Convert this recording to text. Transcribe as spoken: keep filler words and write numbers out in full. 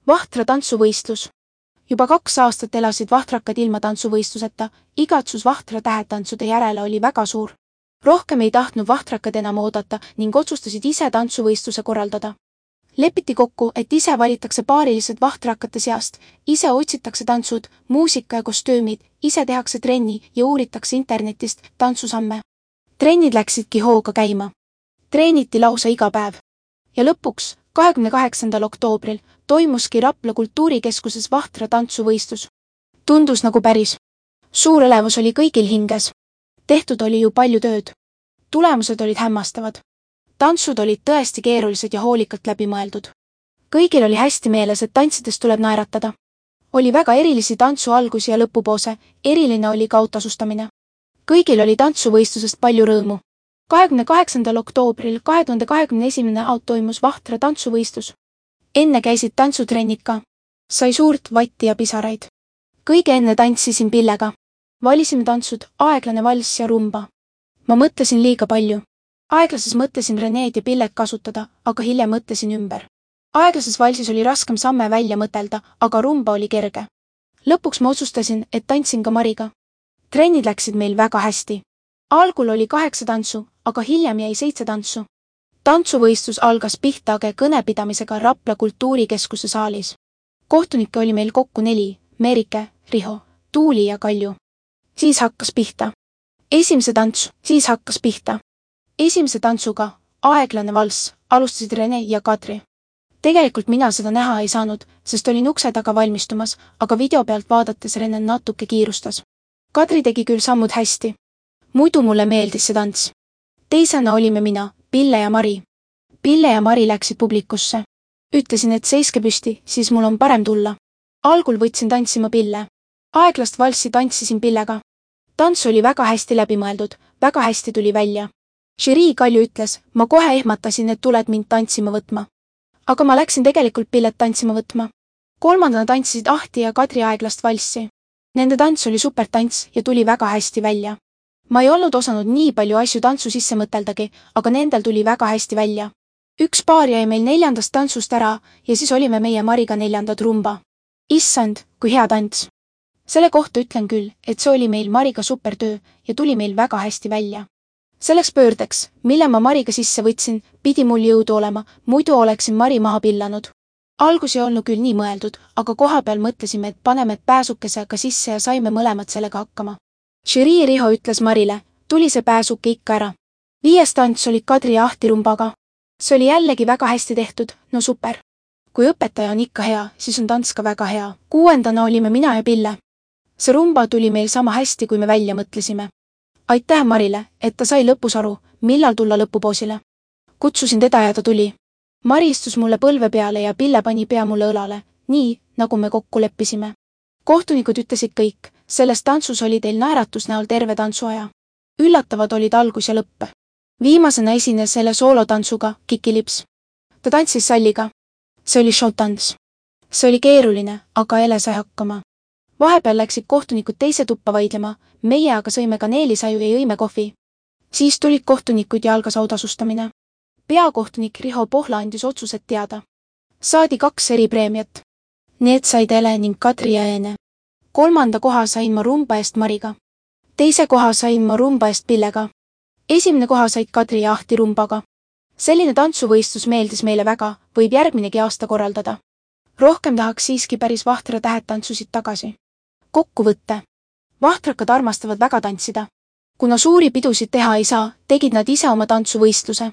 Vahtra tantsuvõistlus. Juba kaks aastat elasid vahtrakad ilma tantsuvõistluseta, igatsus vahtra tähetantsude järele oli väga suur. Rohkem ei tahtnud vahtrakad enam oodata ning otsustasid ise tantsuvõistluse korraldada. Lepiti kokku, et ise valitakse paarilised vahtrakate seast, ise otsitakse tantsud, muusika ja kostüümid, ise tehakse trenni ja uuritakse internetist tantsusamme. Trennid läksidki hooga käima. Treeniti lausa iga päev. Ja lõpuks, kahekümne kaheksandal oktoobril, toimuski Rapla kultuurikeskuses vahtra tantsuvõistlus. Tundus nagu päris. Suur elevus oli kõigil hinges. Tehtud oli ju palju tööd. Tulemused olid hämmastavad. Tantsud olid tõesti keerulised ja hoolikalt läbi mõeldud. Kõigil oli hästi meeles, et tantsides tuleb naeratada. Oli väga erilisi tantsu algusi ja lõpupoose, eriline oli ka autasustamine. Kõigil oli tantsuvõistlusest palju rõõmu. kahekümne kaheksandal oktoobril kahe tuhande kahekümne esimene aut toimus vahtra tantsuvõistlus. Enne käisid tantsutrennid ka. Sai suurt vatti ja pisaraid. Kõige enne tantsisin Pillega. Valisime tantsud aeglane valss ja rumba. Ma mõtlesin liiga palju. Aeglases mõtlesin Reneed ja Pillet kasutada, aga hiljem mõtlesin ümber. Aeglases valsis oli raskem samme välja mõtelda, aga rumba oli kerge. Lõpuks ma otsustasin, et tantsin ka Mariga. Trennid läksid meil väga hästi. Algul oli kaheksa tantsu, aga hiljem jäi seitse tantsu. Tantsuvõistlus algas Pihtage kõnepidamisega Rapla kultuurikeskuse saalis. Kohtunikke oli meil kokku neli, Merike, Riho, Tuuli ja Kalju. Siis hakkas pihta. Esimese tantsu, siis hakkas pihta. Esimese tantsuga, aeglane valss, alustasid Rene ja Kadri. Tegelikult mina seda näha ei saanud, sest olin ukse taga valmistumas, aga video pealt vaadates Rene natuke kiirustas. Kadri tegi küll sammud hästi. Muidu mulle meeldis see tants. Teisena olime mina, Pille ja Mari. Pille ja Mari läksid publikusse. Ütlesin, et seiske püsti, siis mul on parem tulla. Algul võtsin tantsima Pille. Aeglast valssi tantsisin Pillega. Tants oli väga hästi läbi mõeldud, väga hästi tuli välja. Žürii Kalju ütles, ma kohe ehmatasin, et tuled mind tantsima võtma. Aga ma läksin tegelikult Pillet tantsima võtma. Kolmandana tantsisid Ahti ja Kadri aeglast valssi. Nende tants oli supertants ja tuli väga hästi välja. Ma ei olnud osanud nii palju asju tantsu sisse mõteldagi, aga nendel tuli väga hästi välja. Üks paar jäi meil neljandast tantsust ära ja siis olime meie Mariga neljandad rumba. Issand, kui hea tants. Selle kohta ütlen küll, et see oli meil Mariga supertöö ja tuli meil väga hästi välja. Selleks pöördeks, mille ma Mariga sisse võtsin, pidi mul jõudu olema, muidu oleksin Mari maha pillanud. Algus ei olnud küll nii mõeldud, aga koha peal mõtlesime, et paneme pääsukesega sisse ja saime mõlemad sellega hakkama. Žürii Riho ütles Marile, tuli see pääsuke ikka ära. Viies tants oli Kadri ja Ahti rumbaga. See oli jällegi väga hästi tehtud, no super. Kui õpetaja on ikka hea, siis on tants ka väga hea. Kuuendana olime mina ja Pille. See rumba tuli meil sama hästi, kui me välja mõtlesime. Aitäh Marile, et ta sai lõpus aru, millal tulla lõpupoosile. Kutsusin teda ja ta tuli. Mari istus mulle põlve peale ja Pille pani pea mulle õlale, nii, nagu me kokku leppisime. Kohtunikud ütlesid kõik, selles tantsus oli teil naeratus näol terve tantsuaja. Üllatavad olid algus ja lõpp. Viimasena esines selle soolotantsuga Kiki Lips. Ta tantsis Salliga. See oli showtants. See oli keeruline, aga Ele sai hakkama. Vahepeal läksid kohtunikud teise tuppa vaidlema, meie aga sõime kaneelisaju ja jõime kohvi. Siis tulid kohtunikud ja algas autasustamine. Peakohtunik Riho Pohla andis otsused teada. Saadi kaks eri preemiat. Need said Ele ning Kadri ja Eene. Kolmanda koha sain ma rumba eest Mariga. Teise koha sain ma rumba eest Pillega. Esimene koha said Kadri ja Ahti rumbaga. Selline tantsuvõistlus meeldis meile väga, võib järgminegi aasta korraldada. Rohkem tahaks siiski päris vahtra tähetantsusid tagasi. Kokkuvõtte. Vahtrakad armastavad väga tantsida. Kuna suuri pidusid teha ei saa, tegid nad ise oma tantsuvõistluse.